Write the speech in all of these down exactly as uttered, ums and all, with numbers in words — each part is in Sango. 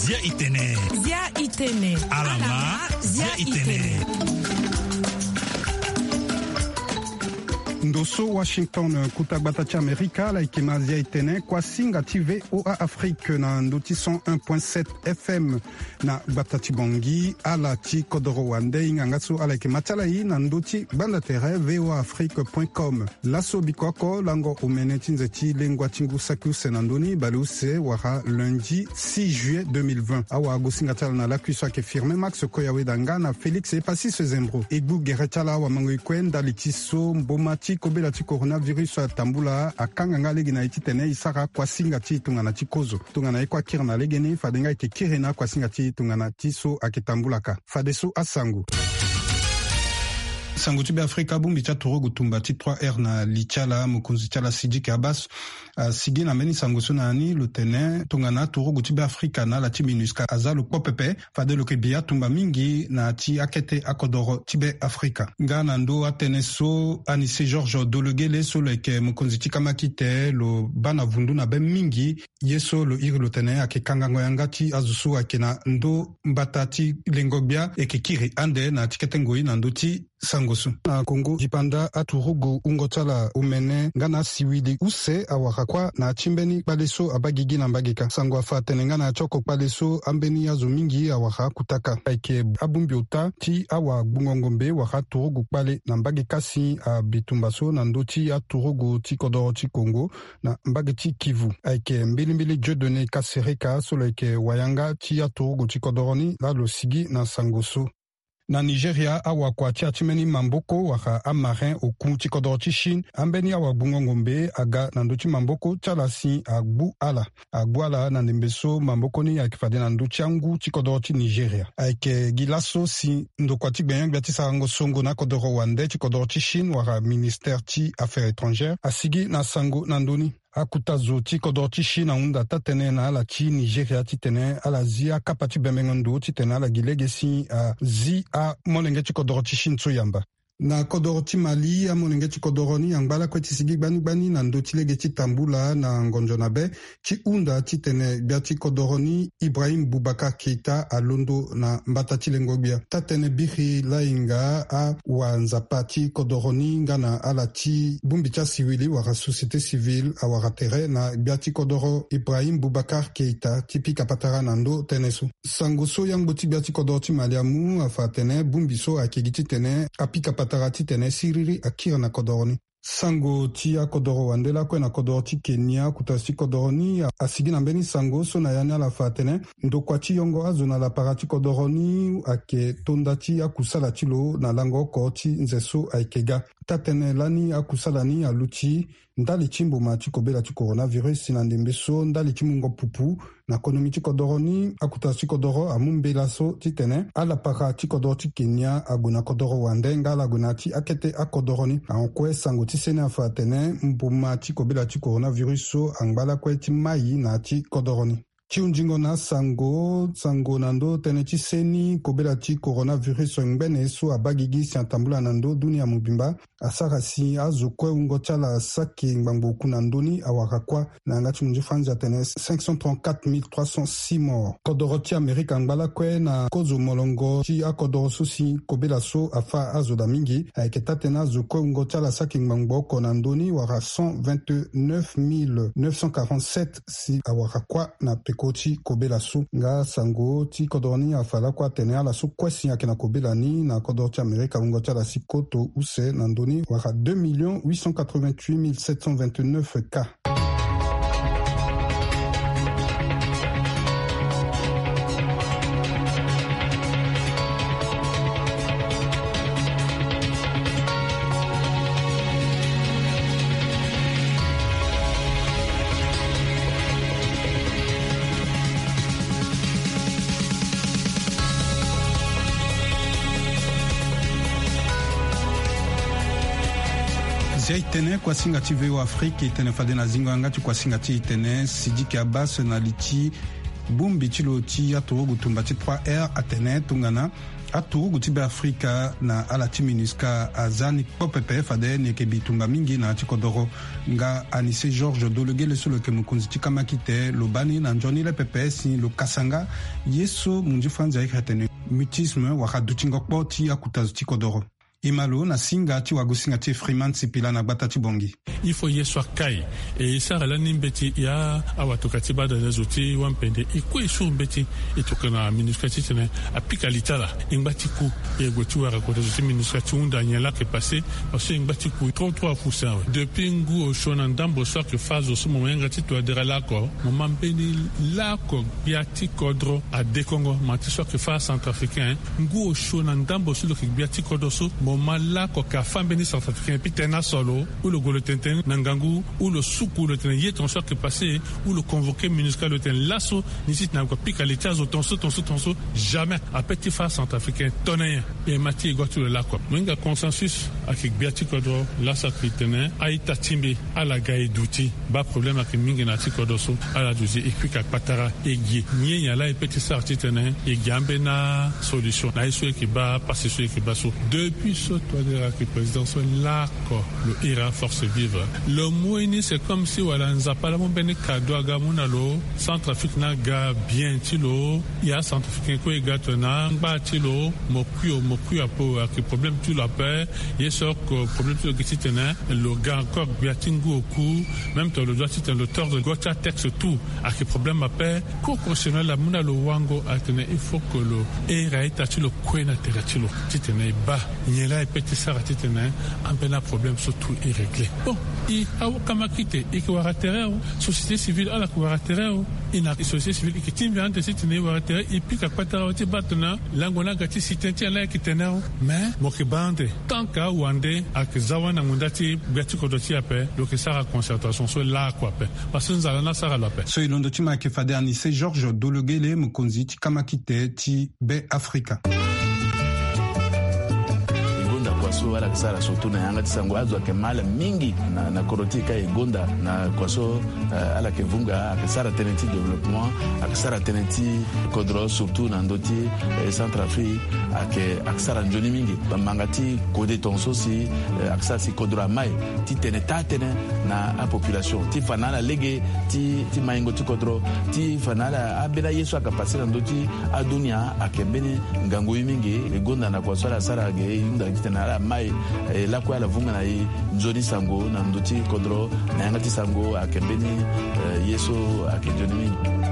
Zia itene. Zia itene. Alama. Zia itene. Ndo so Washington, kuta gbata ti Amerika, ala yeke ma Zia itene, kuasinga ti V O A Afrique na ndo ti cent un point sept F M na gbata ti Bangui, ala ti kodoro wande, hinga nga so ala yeke ma ti ala e na ndo ti gbanda tere V O A Afrique point com. Laso biko oko lango omene ti nze ti lengua ti ngu saki use na ndö ni baleuse wala lundi six juillet deux mille vingt. Awagosinga ti ala na lakui so ayeke Firmin Max Koyaweda nga na Félix Epasis Zembro. E gbu gere ti ala awamango e kue ndali ti so mboma ti kobela ti coronavirus atambula, akanga nga lege na e titene e sara kuasinga ti tongana ti kozo. Tongana e kue akiri na legeni, fade nga e yeke kiri na akuasinga ti tongana ti so ayeke tambula ka. Fadeso asango. Sango ti Beafrika, bongbi ti aturugu tumba ti trois R na li ti ala, mokonzi ti ala Sidiki Abbas asigi na mbeni sango so na ya ni, lo tene tongana aturugu ti Beafrika na ala ti MINUSCA aza lo kpo pepe, fade lo yeke bi atumba mingi na ya ti akete akodoro ti Beafrika. Nga na ndö atënë so, Anicet Georges Dologuélé so lo yeke mokonzi ti kamakite, lo baa na vundu na be mingi. Ye so lo iri lo tene ayeke kangango yanga ti azo so ayeke na ndö mbata ti lengo-gbia, e yeke kiri ande na ya ti kete ngoi na ndö ti sango so. Na Congo dipanda, aturugu wungo ti ala omene nga na asiwili use awara kuâ na ya ti mbeni kpale so abaa gigi na mbage kâ. Sango afa atene nga na ya ti oko kpale so ambeni azo mingi awara akutaka. Ayeke abongbi ota ti awagbungo ngombe wala aturugu kpale na mbage kâ si abitumba so na ndö ti aturugu ti kodoro ti Congo na mbage ti Kivu. Ayeke mbilimbili Dieudonné Kasereka so lo yeke wayanga ti aturugu ti kodoro ni laa lo sigi na sango so. Na Nigeria, awakua ti ya ti mbeni mamboko wala amarin oku ti kodoro ti Chine, ambeni awagbungo ngombe aga na ndö ti mamboko ti ala si agbu ala. Agbu ala na ndembe so mamboko ni ayeke fade na ndö ti angu ti kodoro ti Nigeria. Ayeke gi laso si ndokua ti gbenyo-gbia ti sarango songo na akodoro wande ti kodoro ti Chine wala ministère ti affaires étrangères asigi na sango na ndö ni. Akuta zo ti kodoro ti Chine ahunda taa-tënë na ala ti Nigeria titene ala zi akapa ti bembengo ndo titene ala gi lege si azi amolenge ti kodoro ti Chine so yamba. Na kodoro ti Mali, amolenge ti kodoro ni angba lakue ti sigi gbani gbani na ndö ti lege ti tambula na ngonzo na be ti hunda titene gbia ti kodoro ni Ibrahim Boubacar Keita alondo na mbata ti lengo-gbia. Taa-tënë biri lahinga awanzapa ti kodoro ni nga na ala ti bongbi ti asiwili wala société civile awara tere na gbia ti kodoro Ibrahim Boubacar Keita ti pika patara na ndö tënë so. Sango so yangbo ti gbia ti kodoro ti Mali amu afa atene bongbi so ayeke gi titene apika patara titene siriri akiri na kodoro ni. Sango ti akodoro wande lakue na kodoro ti Kenya, akuta zo ti kodoro ni asigi na mbeni sango so na ya ni ala fa atene ndokua ti yongo azo na lapara ti kodoro ni ayeke tonda ti akusala ti lo na lango oko ti nze so ayeke ga. Taa-tënë lani akusala ni aluti ndali ti mboma ti kobela ti coronavirus na ndembe so ndali ti mungo pupu na konomi ti kodoro ni. Akuta zo ti kodoro amu mbela so titene alapara ti kodoro ti Kenya ague na kodoro wande nga ala gue na ya ti akete akodoro ni. Ahon kue sango ti seni afa atene mboma ti kobela ti coronavirus so angba lakue ti mai na ya ti kodoro ni. Ti hunzingo na asango, sango na ndö tënë ti seni kobela ti coronavirus ngbene so abaa gigi si atambula na ndö dunia mobimba asara si azo kue wungo ti ala saki ngbangbo oku na ndö ni awara kuâ. Na yanga ti munzu franzi atene cinq cent trente-quatre mille trois cent six morts. Kodoro ti Amerika angba lakue na kozo molongo ti akodoro so si kobela so afâ azo daa mingi. Ayeke taa-tënë azo kue wungo ti ala saki ngbangbo oko na ndö ni wala cent vingt-neuf mille neuf cent quarante-sept si awara kuâ na peko ti kobela so. Nga sango ti kodoro ni afa lakue atene ala so kue si ayeke na kobela ni na kodoro ti Amerika wungo ti ala si koto use na ndö ni wala deux millions huit cent quatre-vingt-huit mille sept cent vingt-neuf cas. Zia itene, kuasinga ti V O A Afrique, itene fade na zingo yanga ti kuasinga ti itene, Sidiki Abbas na li ti bongbi ti lo ti aturugu tumba ti trois R atene tongana Aturugu ti Beafrika na ala ti MINUSCA aza ni kpo pepe fade ni yeke bitumba mingi na ya ti kodoro. Nga Anise Georges Dologele so lo yeke mokonzi ti kamakite lo baa ni na nzoni le pepe si lo kasa nga ye so munzi franzi ayeke atene mutisme wala dutingo kpo ti akuta zo ti kodoro. E ma lo na singa ti wagosinga ti e Freeman Sipila na gbata ti Bongi. Il faut ye so akai. E e sara lani mbeti ya awatoka ti badale zo ti wampende e kue e suru mbeti. E tokana MINUSCA titene apika li ti ala. E ngba ti ku. E gue ti wara kota zo ti MINUSCA ti hunda nyen laa ayeke pase. Parce que e ngba ti ku trop trop afu sawe. Depuis ngu osio na ndambo so ayeke fâ zo so mo yanga ti tuadera laa oko, mo ma mbeni laa oko gbia ti kodro adekongo. Ma ti so ayeke fâ Centrafricain, ngu osio na ndambo so lo yeke gbia ti kodro so, mo ma laa oko ayeke afâ mbeni Centrafricain. Pitene aso lo, ou lo gue lo tene tënë na ngangu, ou lo suku lo tene ye tongaso ayeke pase, ou lo convoquer MINUSCA lo tene laso ni titene ague apika li ti azo tongaso tongaso tongaso. Jamais. Ape ti fâ Centrafricain tongana nyen? E ma ti e go ti lo laa oko. Mo hinga consensus ayeke gbia ti kodro. Laso ayeke tene a-ita ti mbi ala ga e duti. Baa problème ayeke mingi na ya ti kodro so. Ala duti e kuika kpatara e gi. Nyen nyen laa e pe ti sara titene e gi ambeni asolution na ye so e yeke baa, pasi so e yeke baa so. Depuis so Touadéra ayeke président so laa oko lo iri aforce vive. Lo mu ye ni c'est comme si wala Nzapa laa amu mbeni kado aga amu na lo. Centrafrique ni aga bien ti lo. Ya Centrafricain kue e ga tongana angba ti lo. Mo kui o, mo kui ape o, ayeke problème ti lo ape. Ye so oko problème ti lo gi titene lo ga encore gbia ti ngu oku. Même tongana lo doit titene lo tordre go ti atexte tout, ayeke problème ape. Cour constitutionnelle amu na lo wango atene il faut que lo iri a-ita ti lo kue na tere ti lo titene e baa nyen laa e pe ti sara titene ambeni aproblème so tout e régler. Bon, e awa kamakite e yeke wara tere o, société civile ala yeke wara tere o. E na société civile e yeke tingbi ande titene e wara tere, e pika kpatara ti baa tongana lango ni aga ti si tënë ti ala ayeke tene o. Mais mo yeke baa ande tant que awande ayeke za wani na ngonda ti gbia ti kodro ti e ape, lo yeke sara concertation so laa oko ape. Parce que nzara ni asara lo ape. So e londo ti ma ayeke fade Anise Georges Dologele, mokonzi ti kamakite ti Be Afrika. E gonda kua so ala yeke sara surtout na yanga ti sango, azo ayeke ma ala mingi na, na kodro ti e ka e gonda na kua so, eh, ala yeke vunga, ayeke sara tënë ti développement, ayeke sara tënë ti kodro surtout na ndö ti, eh, Centrafrique, ayeke, ayeke sara nzoni mingi. Bambanga ti kode tongaso si, eh, ayeke sara si kodro ama e ti tene taa tënë na apopulation ti fa na ala lege ti, ti maingo ti kodro, ti fa na ala ambeni aye so ayeke pase na ndö ti adunia ayeke mbeni ngangu ye mingi. E gonda na kua so ala sara ge e hunda titene ala ma e, e lakue ala vunga na e nzoni sango na ndö ti kodro na yanga ti sango ayeke mbeni, eh, ye so ayeke nzoni mingi.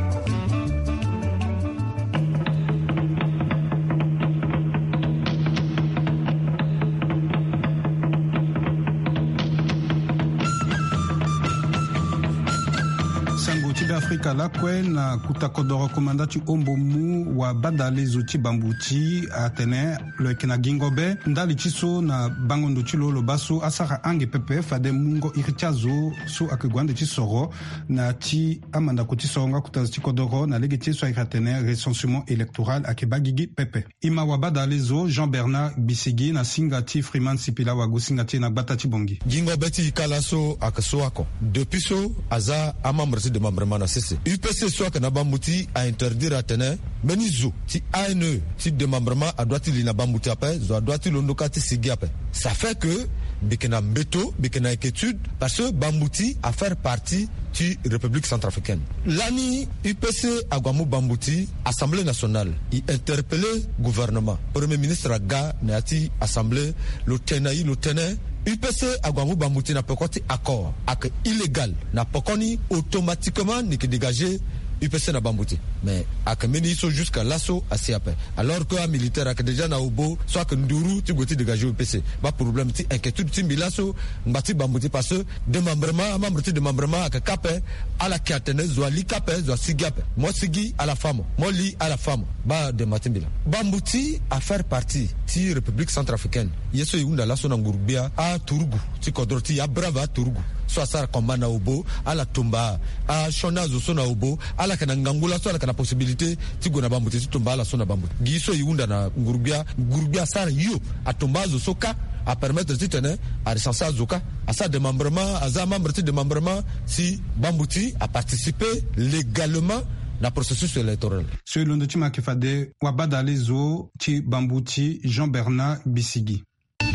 Sango ti Beafrika lakue na kuta kodoro komanda ti ombo mu wabadale zo ti Bambuti atene lo yeke na gingo be ndali ti so na bango ndo ti lo lo baa so asara ange pepe fade mungo iri ti azo so ayeke gue ande ti soro na ya ti amandako ti soro nga kuta zo ti kodoro na lege ti ye so ayeke atene recensement électoral ayeke baa gigi pepe. E ma wabadale zo Jean Bernard Gbisigi na singa ti Freeman Sipila wagosinga ti e na gbata ti Bongi. Gingo be ti e ka laso ayeke so oko. Depuis so aza amembre ti démembrement na sese, U P C so ayeke na Bambuti ainterdire atene mbeni zo ti A N E ti démembrement adoit ti li na Bambuti ape, zo adoit ti londo kâ ti sigi ape. Ça fait que mbi yeke na mbeto, mbi yeke na inquiétude parce que Bambuti afaire partie ti République centrafricaine. Lani U P C ague amu Bambuti, Assemblée nationale e interpellé gouvernement, Premier ministre aga na ya ti Assemblée, lo tene na e, lo tene U P C ague amu Bambuti na peko ti accord ayeke illégal. Na pekoni automatiquement ni yeke dégagé U P C na Bambuti. Mais ayeke mbeni ye so jusqu'à laso asi ape. Alors que amilitaire ayeke déjà na obo so ayeke nduru ti gue ti dégagé U P C. Baa problème ti inquiétude ti mbi laso, ngba ti Bambuti parce que démembrement, amembre ti démembrement ayeke kâ ape. Ala yeke atene zo ali kâ ape, zo asigi ape. Mo sigi ala fâ mo, mo li ala fâ mo. Baa dema ti mbi laa. Bambuti afaire partie ti République centrafricaine. Ye so e hunda laso na nguru-gbia, aturugu ti kodro ti e, abrave aturugu so asara combat na obo, ala tumba asioni azo so na obo. Ala yeke na ngangu laso, ala yeke na possibilité ti gue na Bambuti ti tumba ala so na Bambuti. Gi so e hunda na nguru-gbia, nguru-gbia asara hio, atumba azo so kâ, apermettre titene arecenser azo kâ, asara démembrement, aza membre ti démembrement. Si Bambuti aparticiper légalement Na processus électoral. So e londo ti ma ayeke fade wabadale zo ti bambu ti Jean Bernard Bisigi.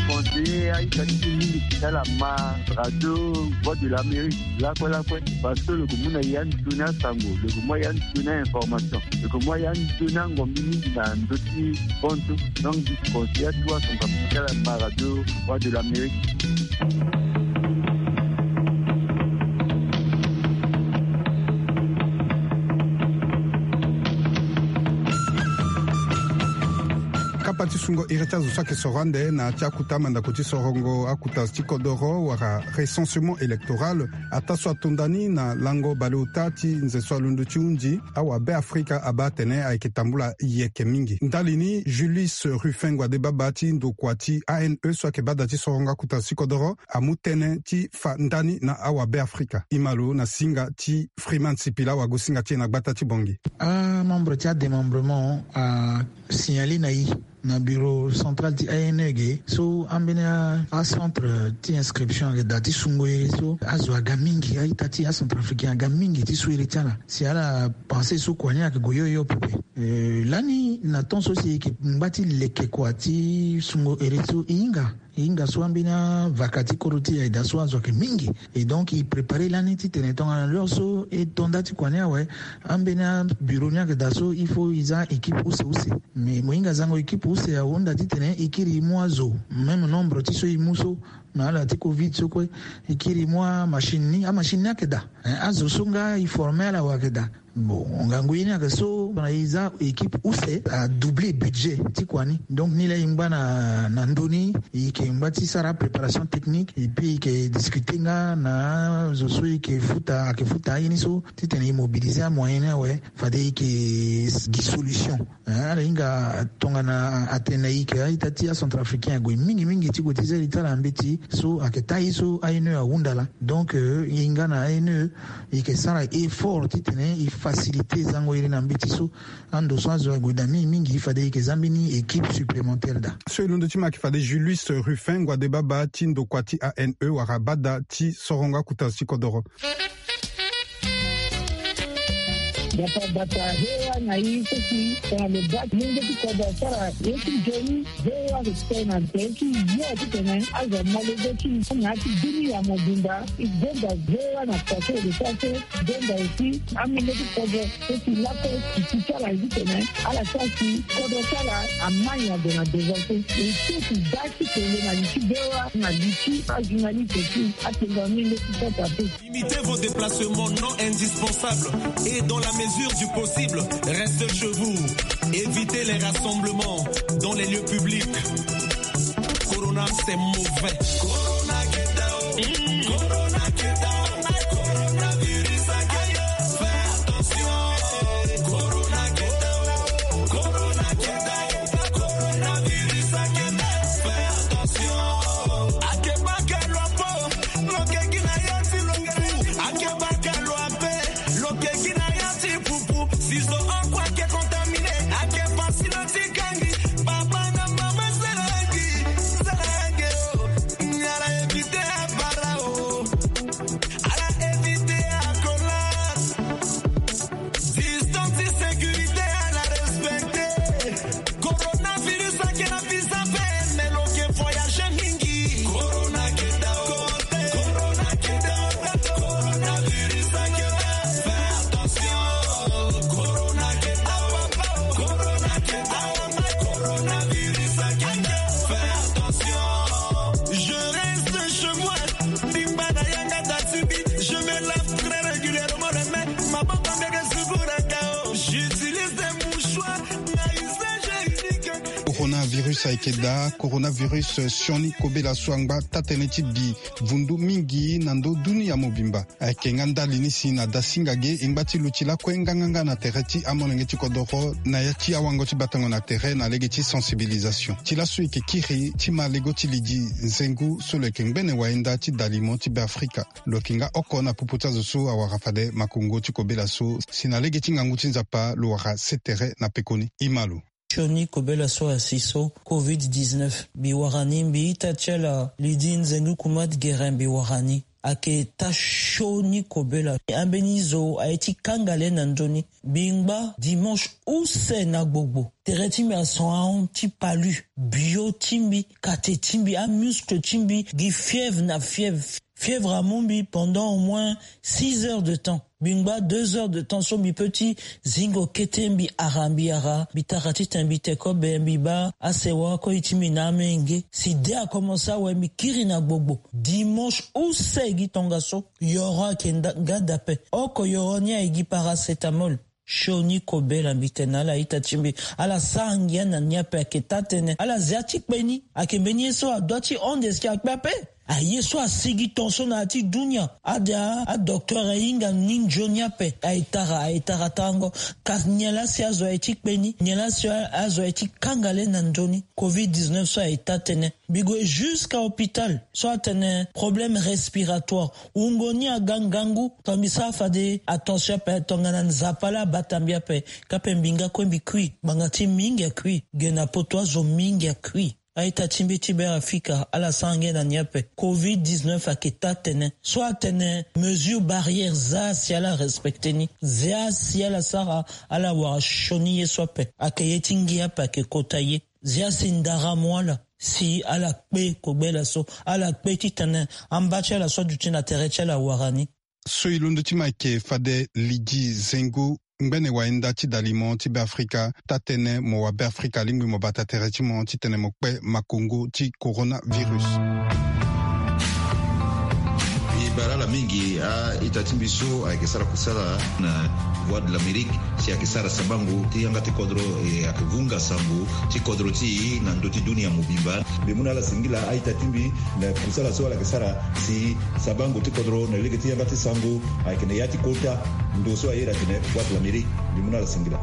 Conseiller aita ti mingi ti ala ma radio Voix de l'Amérique lakue lakue, parce que lo yeke mu na ya nzoni asango, lo yeke mu ya nzoni a-information, lo yeke mu ya nzoni angombi mingi na ndö ti hon so. Donc, conseiller atuwa son papa ti ala ma radio Voix de l'Amérique. Kapa ti sungo iri ti azo so ayeke soro ande na ya ti akuta mandako ti sorongo akuta ti kodoro wala recensement électoral, ataa so atonda ni na lango baleota ti nze so alondo ti hunzi awabe afrika abaa atene ayeke tambula yeke mingi. Ndali ni Julius Ruffin, ngua de baba ti ndokua ti A N E so ayeke bada ti sorongo akuta ti kodoro, amu tënë ti fa ndani na awabe afrika. E ma lo na singa ti Freeman Sipila, wagosinga ti e na gbata ti Bangui. Amembre ti adémembrement asignalé na e na bureau central ti A N E ge so ambeni acentre ti inscription ayeke daa ti sungo iri so azo aga mingi, a-ita ti acentrafricain aga mingi ti su iri ti ala. Si ala pensé so kua ni ayeke gue hio hio pepe. Euh, lani na temps so si e yeke ngba ti leke kua ti sungo iri so e hinga, e hinga so ambeni avaka ti kodro ti e ayeke daa so azo ayeke mingi. Et donc e préparé lani titene tongana l'heure so e to nda ti kua ni awe, ambeni abureau ni ayeke daa so il faut e za équipe use use. Mais mo hinga zango équipe use ahunda titene e kiri e mu azo même nombre ti so e mu so na ala ti covid so kue, e kiri e mu amachine ni, amachine ni ayeke daa. Hein, azo so nga e formé ala awe ayeke daa. Bon, ngangu ye ni ayeke so na e za équipe use a doublé budget ti kua ni. Donc ni laa e ngba na, na ndö ni, e yeke ngba ti sara préparation technique et puis e yeke discuté nga na azo so e yeke futa, ayeke futa aye ni so titene e mobilisé amoyen ni awe, fade e yeke gi solution. Hein, ala hinga tongana atene na e yeke a-ita ti acentrafricain ague mingi mingi ti gue ti zia li ti ala na mbeti so ayeke taa ye so A N E ahunda laa. Donc euh, e hinga na A N E e yeke sara effort titene e facilité zango iri na mbeti so. Ando so azo ague daa mingi mingi fade e yeke za mbeni équipe supplémentaire daa. So e londo ti ma ayeke fade Julius Ruffin, ngua de baba ti ndokua ti A N E wala bada ti sorongo akuta ti kodoro. Bata bata, V O A na e so si tongana lo baa ti lenge ti kodro asara ye ti nzoni, V O A ayeke tene na tere ti yo titene azo amolenge ti na ya ti dunia mobimba. E gonda V O A na poto e de so aso, gonda aussi amolenge ti kodro so si lakue ti ti ti ala ye titene ala sara si kodro ti ala amai ado na devant so. E so ti baa ti tene na li ti V O A na li ti ajournaliste ti atengua amolenge ti kota pe. Limitez vos déplacements non indispensables et dans la mesure du possible, restez chez vous. Évitez les rassemblements dans les lieux publics. Corona, c'est mauvais. Corona, get down. Mm. Corona, get down. Coronavirus, get down. Fais attention. Corona, get down. Corona, get down. Coronavirus, get down. Fais attention. Akeba ke lua po. Lo ke gi na ya ti lo ke fu. Akeba ke lua pe. Lo ke gi na ya ti pupu. Si zo oko ake contaminé, ake pasi na ti kangi. Papa na mama, sala gi, sala gi o. Ala éviter abara o. Ala éviter akola. Distance ti sécurité ala respecté. Coronavirus ake na visa vert, mais lo ke voyager mingi. Corona ke down. Corona ke down. Coronavirus ake down. Fais attention. Corona ke down. Corona ke down. Coronavirus ake down. Fais attention. Je reste chez moi. Bimba na yanga datibi. Je me lave très régulièrement les mains. Maboko mbege sugura kao. J'utilise des mouchoirs. Coronavirus ayeke daa. Coronavirus sioni kobela so angba taa-tënë ti bi vundu mingi na ndö dunia mobimba. Ayeke nga ndali ni si na dasinga ge e ngba ti luti lakue nganganga na tere ti amolenge ti kodoro na ya ti awango ti batango na tere na lege ti sensibilisation. Ti laso e yeke kiri ti ma lego ti lidi nzengu so lo yeke ngbene wayenda ti dalimo ti Beafrika. Lo yeke nga oko na popo ti azo so awara fade makongo ti kobela so si na lege ti ngangu ti Nzapa lo wara se tere na pekoni. E ma lo. Sioni kobela so asi so covid dix-neuf mbi wara ni, mbi ita ti ala Lydie Nzengu Kumat Guérin mbi wara ni. Ayeke taa sioni kobela. Ambeni zo aye ti kanga le na ndoni. Bingba dimanche use na gbogbo, tere ti mbi ason ahon ti palu, bio ti mbi, kate ti mbi, amuscle ti mbi gi fièvre na fièvre. Fièvre amu mbi pendant au moins six heures de temps. Bingba deux heures de temps so mbi pe ti zingo kete, mbi ara mbi ara, mbi tara titene mbi te kobe, mbi baa asewa koi ti mbi na amenge. Si de akomense awe, mbi kiri na gbogbo. Dimanche use gi tongaso, yoro ayeke nda- nga dape. Oko yoro ni aye gi paracétamol. Sioni kobela, mbi tene na ala ita ti mbi, ala sara ngia na ni ape, ayeke taa tënë. Ala zia ti kpe ni. Ayeke mbeni ye so adua ti hon de si akpe ape. Aye so asigi ton so na ya ti dunia. Ade a- adocteur ahinga ni nzoni ape. Aye tara, aye tara tarango. Kasi nyen laa si azo aye ti kpe ni? Nyen laa si a- azo aye ti kanga le na ndoni? Covid dix-neuf so aye taa tënë. Mbi gue jusqu'à hôpital so atene problème respiratoire. Wungo ni aga ngangu. Tongana mbi sara fade attention ape, tongana Nzapa laa abata mbi ape, kape mbi nga kue mbi kui. Ngbanga ti mingi akui. Ge na poto azo mingi akui. A-ita ti mbi ti Beafrika, ala sara ngia na ni ape. Covid dix-neuf ayeke taa tënë. So atene mesure barrière, zia si ala respecte ni. Zia si ala sara, ala wara sioni ye so ape. Ayeke ye ti ngia ape ayeke kota ye. Zia si ndara mu ala, si ala kpe kobela so, ala kpe titene amba ti ala so aduti na tere ti ala awara ni. So e londo ti mo ayeke fade Lydie Zengo, ngbene wayenda ti dalimo ti Beafrika, taa tënë mo wa Beafrika alingbi mo bata tere ti mo titene mo kpe makongo ti coronavirus. E bara ala mingi a-ita ti mbi so ayeke sara kusala na Voix de l'Amérique, si ayeke sara sabango ti yanga ti kodro, e ayeke vunga sango ti kodro ti e na ndö ti dunia mobimba. Mbi mu na ala singila a-ita ti mbi na kusala so ala yeke sara si sabango ti kodro na lege ti yanga ti sango ayeke na ya ti kota ndo so a iri atene Voix de l'Amérique. Mbi mu na ala singila.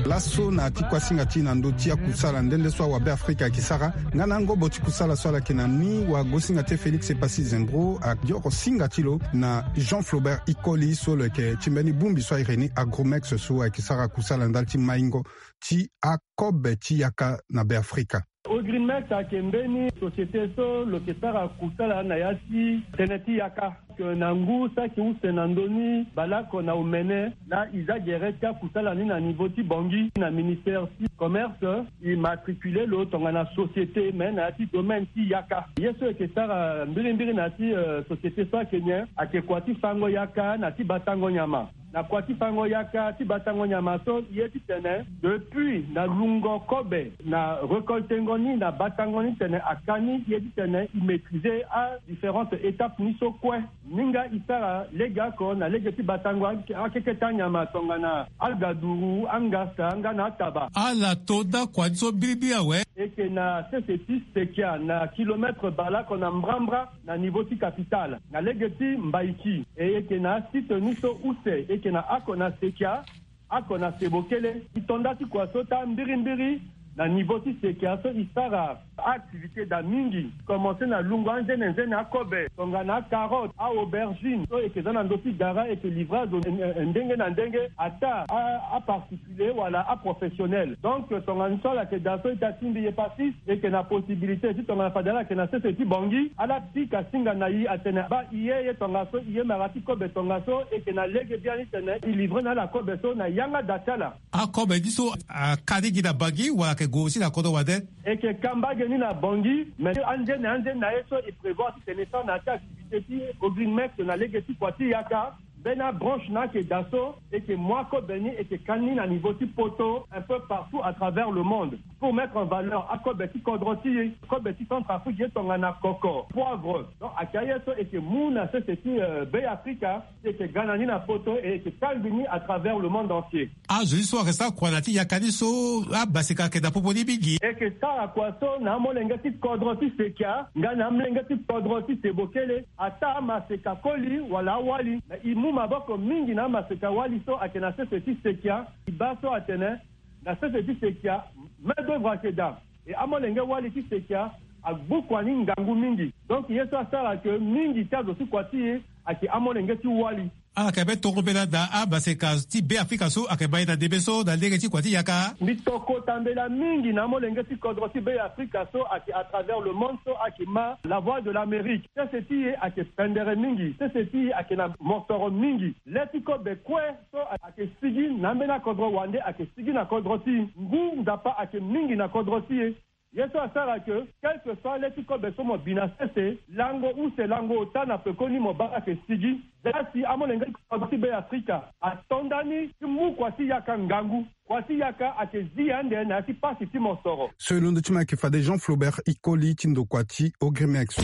Laso na ti kuasinga ti na ndö ti akusala nde nde so awa Beafrika ayeke sara nga na angobo ti kusala so ala yeke na ni wa gosinga ti e Félix Epassi Zembro, ayeke yoro singa ti lo na Jean Flaubert Ikoli so lo yeke ti mbeni bongbi so a iri ni Agromex so ayeke sara kusala ndali ti maingo ti akobe ti yaka na Beafrika. Ogrimex ayeke mbeni société so lo yeke sara kusala na ya ti tënë ti yaka. Ayeke na ngu saki use na ndö ni baleoko na omene laa e za gere ti akusala ni na niveau ti Bangui na ministère ti commerce, e matricule lo tongana société me na ya ti domaine ti yaka. Ye so e yeke sara mbirimbiri na ya ti, euh, société so ayeke nyen? Ayeke kua ti fango yaka na ti batango nyama. Na kua ti fango yaka ti batango nyama so, e ye titene depuis na lungo kobe na récoltengo ni na batango ni tene aka ni, e ye titene e maîtriser a différentes étapes ni so kue. Ni nga e sara lege oko na lege ti batango ake- akeke ti anyama tongana agaduru, angasa nga na ataba. Ala to daa kua ni so biribiri awe. E yeke na sese ti Sekia na kilomètre baleoko na mbrambra na niveau ti capitale na lege ti Mbaiki. E yeke na asite ni so use, e yeke na oko na Sekia, oko na Sebokele. E to nda ti kua so taa mbirimbiri na niveau ti Sekia so e sara a-activité daa mingi. Commencer na lungo anzene nzene akobe tongana acarotte, a-aubergine so e yeke za na ndö ti gara, e yeke livrer azo, eh, eh, ndenge na ndenge, ata a- aparticulier wala aprofessionnel. Donc tongana so ala yeke daa so ita ti mbi Epassi, e yeke na possibilité ti tongana fade ala yeke na sese ti Bangui, ala pika singa na e atene baa e ye, e ye tongaso, e ye mara ti kobe tongaso, e yeke na lege biani titene e livrer na ala kobe so na yanga daa ti ala. Akobe ni so aka ni gi na Bangui wala ayeke gue aussi na kodro wande? E yeke ka mbage ni na Bangui, mais anzene anzene na ye so e prévoir titene e sara na ya ti activité ti Ogrimex na lege ti kua ti yaka. Mbeni abranche na ayeke daa so e yeke mu akobe ni e yeke kani na niveau ti poto un peu partout à travers le monde, pour mettre en valeur akobe ti kodro ti e. Kobe ti Centrafrique ye tongana koko, poivre. Donc ayeke aye so e yeke mu na sese ti Be Afrika, e yeke ga na ni na poto e e yeke kangbi ni à travers le monde entier. Azo ye so ayeke sara kua na ya ti yaka ni so, abaseka ayeke na popo ni mingi. E yeke sara kua so na amolenge ti kodro ti Sekia nga na amolenge ti kodro ti Sebokele, ataa amaseka koli wala awali. Me e mu maboko mingi na amaseka wali so ayeke na sese ti Sekia. E baa so atene na sese ti Sekia, main d'oeuvre ayeke daa. E amolenge wali ti Sekia agbu kua ni ngangu mingi. Donc ye so asara ke mingi ti azo ti kua ti e ayeke amolenge ti wali. Ala yeke be tongo mbela daa amaseka ti Be Afrika so ayeke ma e na ndembe so na lege ti kua ti yaka. Mbi to kota mbela mingi na amolenge ti kodro ti Be Afrika so ayeke à travers le monde so ayeke ma La Voix de l'Amérique. Sese ti e ayeke pendere mingi. Sese ti e ayeke na mosoro mingi. Le ti kobe kue so ayeke sigi na ambeni akodro wande ayeke sigi na kodro ti e. Ngu Nzapa ayeke mingi na kodro ti e. Ye so asara ke, quel que soit le ti kobe so mo bi na sese, lango use lango ota na pekoni mo baa ayeke sigi. Za si amolenge ti kodro ti Be Afrika ato ndani ti mu kua ti yaka ngangu. Kua ti yaka ayeke zi ande na ya ti pasi ti mosoro. So e londo ti mo ayeke fade Jean Flaubert Ikoli ti ndokua ti Ogrimex.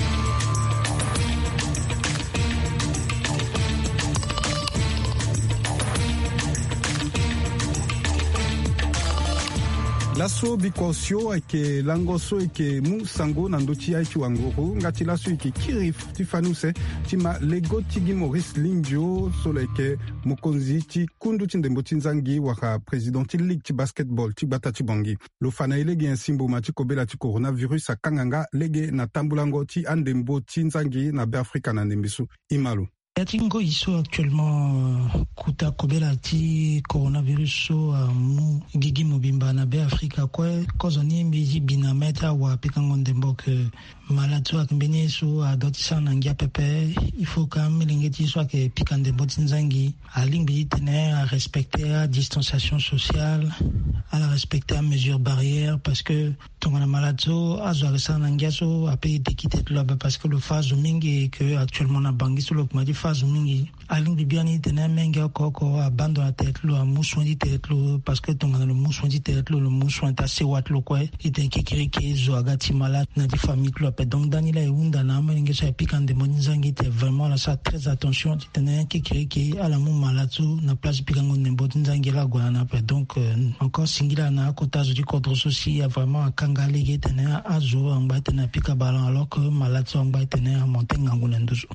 Laso biko osio ayeke lango so e yeke mu sango na ndö ti aye ti wanguru nga ti laso e yeke kiri ti fani use ti ma lego ti Guy Maurice Limbio so lo yeke mokonzi ti kundu ti ndembo ti nzangi wala président ti ligue ti basketball ti gbata ti Bangui. Lo fa na e lege nyen si mboma ti kobela ti coronavirus akanga nga lege na tambulango ti andembo ti nzangi na Be Afrika na ndembe so? E ma lo. Ya ti ngoi so actuellement, euh, kota kobela ti coronavirus so amu gigi mobimba na Be Afrika kue, kozoni mbi zi bi na mê ti awa pikango ndembo ke malade so ayeke mbeni ye so adoit ti sara na ngia pepe. Il faut ka amolenge ti ye so ayeke pika ndembo ti nzangi alingbi ti tene arespecter adistanciation sociale, ala respecter amesure barrière, parce que tongana malade so azo ayeke sara na ngia so ape e deki tete lo ape, parce que lo fa azo mingi, ke actuellement na Bangui so lo kuma ti fa azo mingi. Alingbi biani ti tene amenge oko oko abaa ndo na tere ti lo, amu soin ti tere ti lo, parce que tongana lo mu soin ti tere ti lo, lo mu soin ti asewa ti lo kue. Ti tene kekereke zo aga ti malade na ya ti famille ti lo ape. Donc ndani laa e hunda na amolenge so ayeke pika ndembo ti nzangi ti tene vraiment ala sara très attention ti tene kekereke ala mu malade so na place ti pikango ndembo ti nzangi laa ague na ni ape. Donc, euh, encore singila na akota zo ti kodro so si a vraiment akanga lege ti tene azo angba ti tene apika ballon alors que malade so angba ti tene amonte ngangu na nduzu.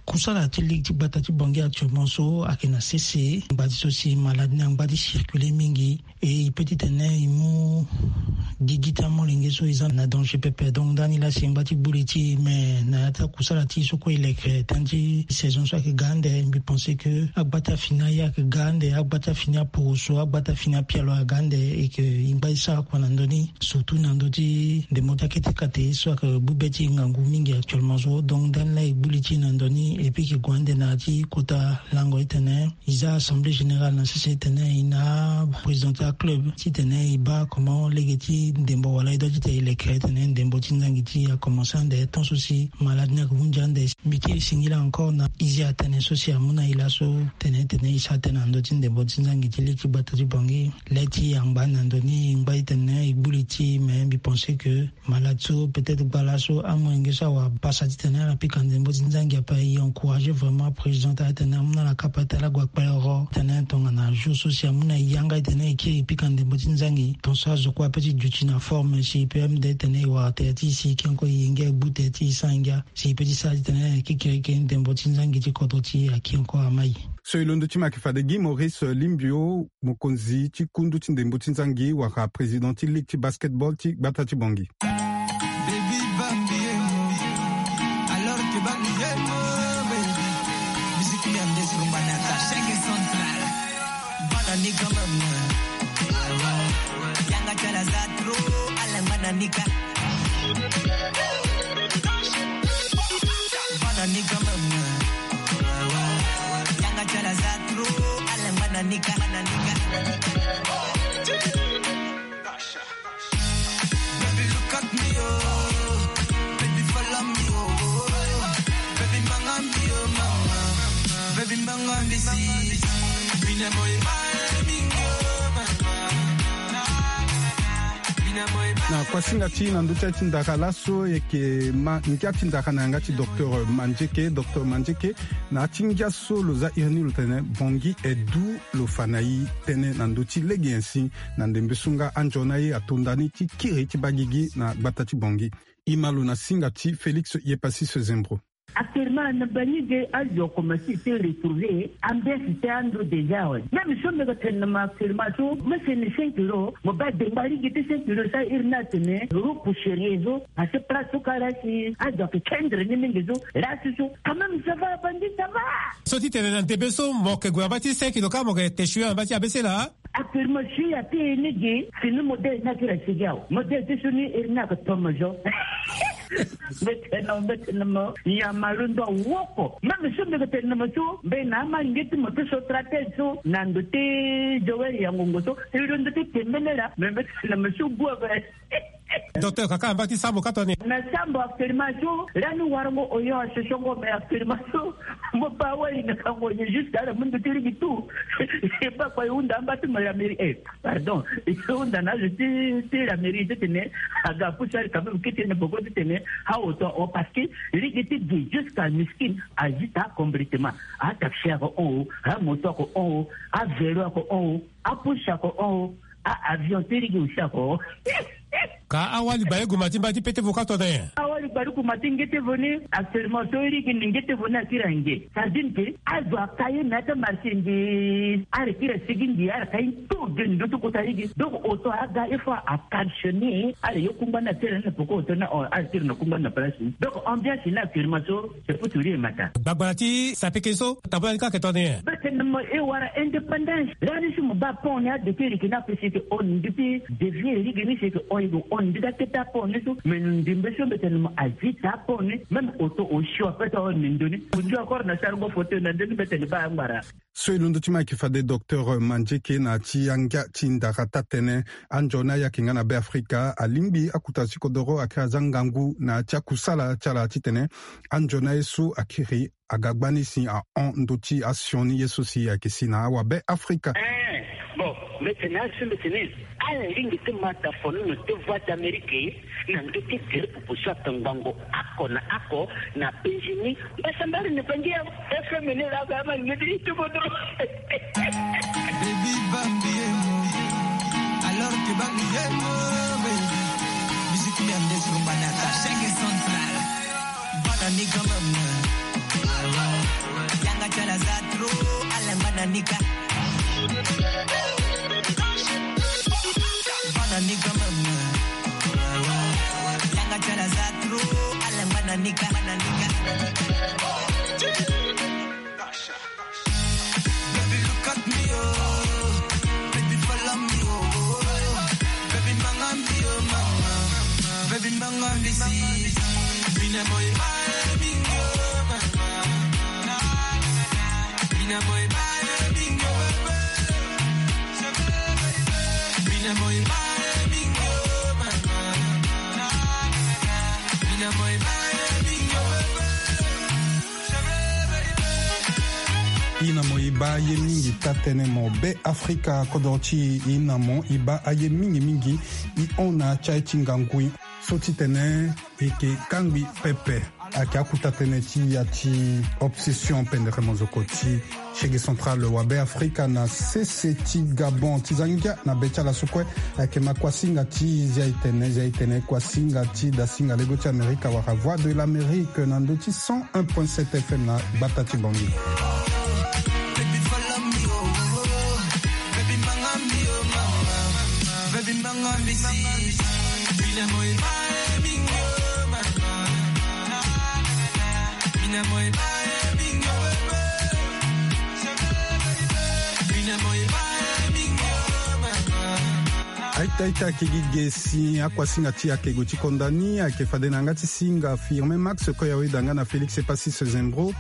Kusala ti ligue ti gbata ti Bangui actuellement so ayeke na sese. Ngba ti so si malade ni angba ti circuler mingi, e e peut ti tene e mu gigi ti amolenge so e za na danger pepe. Donc ndani laa si e ngba ti gbu li ti e, mais na ya ti akusala ti e so kue e leke tënë ti saison so ayeke ga ande, mbi pense que agba ti afini aye ayeke ga ande, agba ti afini aporoso, agba ti afini apialo aga ande, et que e ngba e sara kua na ndö ni. Surtout na ndö ti ndembo ti akete kate so ayeke gbu be ti e ngangu mingi actuellement so. Donc ndani laa e gbu li ti e na ndö ni, et puis e yeke gue ande na ya ti kota lango ti tene e za assemblée générale na sese ti tene e na président ti aclub ti tene e baa comment lege ti ndembo wala e doit ti tene e leke ti tene ndembo ti nzangi ti e akomense ande, tant so si malade ni ayeke hunzi ande. Mbi kiri singila encore na e zi atene so si amu na e laso, tene tene e sara tënë na ndö ti ndembo ti nzangi ti ligue ti gbata ti Bangui. Le ti e angba na ndö ni, e ngba e tene e gbu li ti e, mais mbi pense que malade so peut-être gba laso amolenge so awara pasa ti tene ala pika ndembo ti nzangi ape. E encourager vraiment président ti ala ti tene amu na ala kapa ti tene ala gue akpale oro ti tene tongana jour so si amu na e yanga ti tene e kiri e pika ndembo ti nzangi, tongaso azo kue ape ti duti na forme si e peut même de ti tene e wara tere ti e si e kiri encore e yenge agbu tere ti e e sara ngia si e peut ti sara ti tene kekereke ndembo ti nzangi ti kodro ti e akiri encore amai. So e londo ti mo ayeke fade Guy Maurice Limbio, mokonzi ti kundu ti ndembo ti nzangi wala président ti ligue ti basketball ti gbata ti Bangui. Baby Bambi ye mo, alors que Bambi ye mo, baby. Musique merde sur Manata, chaque central. Bana ni quand même. Yanga chala za trop, ala bana ni ka. Bana ni quand même. Yanga chala za trop, ala bana ni ka, bana ni ka. Baby, look at me, oh. Baby, follow me, oh. Baby, manga me, oh, mama. Na kuasinga ti na ndö ti aye ti ndara laso, e yeke ma ngia ti ndara na yanga ti docteur Mandieke. Docteur Mandieke, na ya ti ngia so lo za iri ni lo tene Bangui Edou lo fa na e tënë na ndö ti lege nyen si na ndembe so nga anzoni aye ato ndani ti kiri ti baa gigi na gbata ti Bangui. E ma lo na singa ti Félix Yepassis Zembro. Actuellement, na bangi ge azo akomanse ti retrouver ambiance ti ando déjà awe. Même so mbi yeke tene na mo actuellement so, mo sene cinq euros, mo baa dengba lege ti cinq euros so airi ni atene repousserier so, parce que place so kâ la si azo ayeke kendre ni mingi so, la si so, quand même ça va, bangi ça va. So ti tene na ndembe so mo yeke gue na mbage ti cinq euros kâ mo yeke te sui na mbage ti A B C laa. Actuellement, si ape ni gi, fini modèle ni akiri asigi awe. Modèle ti so ni iri ni ayeke tomo zo. Mbi tene na mo, mbi tene na mo, nyama londo awoko. Même so mbi yeke tene na mo so, mbi na ama nge ti mo ti so stratège so, na ndo ti Joël Yangongo so, e londo ti tembele laa, mais mbi tene na mo so gue ape. Docteur, ka kâ na mbage ti sambo ka tongana nyen? Na sambo actuellement so, lani warango oyo asosongo, mais actuellement so, mo baa wali na kango nyen jusqu'à la mundu ti ligi tout. E baa kua e hunda amba ti mo la mairie, eh, pardon. E hunda na azo ti, ti la mairie titene aga apusu ali quand même kete na boko titene aoto ahon, parce que ligi ti gi jusqu'à Miskine azita complètement. Ataxi ako hon o, amoto ako hon o, avélo ako hon o, apusu ako hon o. Ah, avion ti ligi aussi ako. Ka awali baleuguma ti mbage ti pete vo ka to na nyen? Awali baleuguma ti ngete vo ni, actuellement so ligi ni ngete vo ni akiri ange. Ça veut dire que azo aka ye me ata marché ngi, ala kiri asigi ngi, ala ka ye tout de ndö ti kota ligi. Donc oto aga il faut a cautionner, ala ye kungba ni atere na poko oto ni, ala tiri na kungba ni na place ni. Donc ambiance ni actuellement so, c'est pour tout dire matin. Gbagbara ti sapeke so, tabula ni ka yeke tongana nyen? Mbi tene na mo e wara indépendance. Lani so mo baa pont ni adoki e yeke ni ape si e yeke hon, mbi ti dévier lege ni si e yeke hon, e yeke hon, mbi ti akete apont ni so. Mais ndembe so mbi tene na mo azita apont ni. Même oto osio ape ti ahon na ndo ni. Ndio encore na sarango fauteuil na ndo ni, mbi tene baa angbara. So e londo ti mo ayeke fade docteur Mandieke na ya ti angia ti ndara taa-tënë. Anzoni aye ayeke nga na Be Afrika alingbi akota ti kodoro akiri aza ngangu na ya ti akusala ti ala titene anzoni aye so akiri aga gbani si ahon ndö ti asioni ye so si ayeke si na awabe Afrika. Eh, bon, mbi tene azo mbi tene ala lingbi ti ma ta fonono ti Voix d'Amérique na ndö ti gere pupu so atongbango oko na oko na penzi ni. Mbasambari ni bangi ya F M ni la ga ma ngedi ti kodro. Baby bambi emo. Alors que bambi emo, baby. Musique ni ande sur Banata. Chaque central. Bana ni quand même. Yanga chala za trop, ala bana ni ka. Bana ni quand même. Yanga chala za trop, ala bana ni ka. Baby, look at me, oh. Baby, follow me, oh. Baby, manga me, oh, mama. Baby, manga me, see. Mina boy, my bingo, mama. Mina boy, my bingo, mama. Mina boy, my bingo, mama. Mina boy, my bingo, mama. E na mo e baa ye mingi taa-tënë mo Be Afrika kodro ti e. E na mo e baa aye mingi mingi. E hon na ya ti aye ti ngangu. So titene e yeke kangbi pepe. Ayeke akuta tënë ti ya ti Obsession pendere mozoko ti Shege Central wa Be Afrika na sese ti Gabon. Ti za ngia na be ti ala so kue. Ayeke ma kuasinga ti Zia Itene, Zia Itene, kuasinga ti dasinga lego ti Amerika wala Voix de l'Amérique na ndö ti cent un point sept F M na gbata ti Bangui. Aita aita, ayeke gi ge si akuasinga ti e ayeke gue ti konda ni, ayeke fade na yanga ti singa Firmin Max, koya weda nga na Félix Epassis Zembro.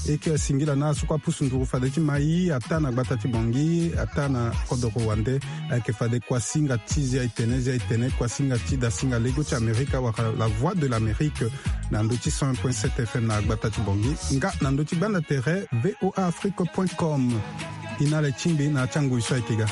E yeke singila na ala so kue apusu nduru fade ti mai ataa na gbata ti Bangui, ataa na kodoro wande. Ayeke fade kuasinga ti zia etene, zia etene, kuasinga ti dasinga lego ti Amerika wala La Voix de l'Amérique, na ndö ti cent un point sept F M na gbata ti Bangui, nga na ndö ti gbanda tere V O A Afrique point com. E na ala ti ngbi na ya ti angoi so ayeke ga.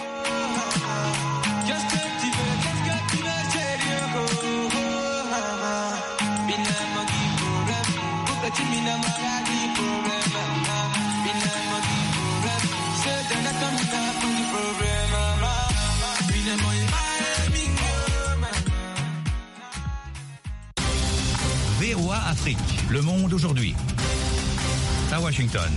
V O A Afrique, le monde aujourd'hui. À Washington.